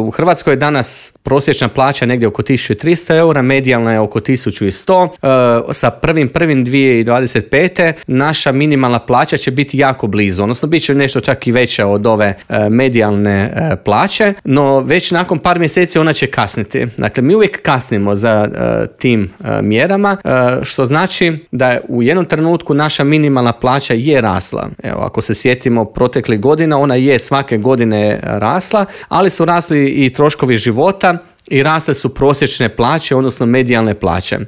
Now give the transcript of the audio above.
U Hrvatskoj je danas prosječna plaća negdje oko 1300 eura, medijalna je oko 1100. Sa 1.1.2025. naša minimalna plaća će biti jako blizu, odnosno bit će nešto čak i veća od ove medijalne plaće, no već nakon par mjeseci ona će kasniti. Dakle, mi uvijek kasnimo za tim mjerama, što znači da je u jednom trenutku naša minimalna plaća je rasla. Evo, ako se sjetimo proteklih godina, ona je svake godine rasla, ali su rasli i troškovi života i rasle su prosječne plaće, odnosno medijalne plaće.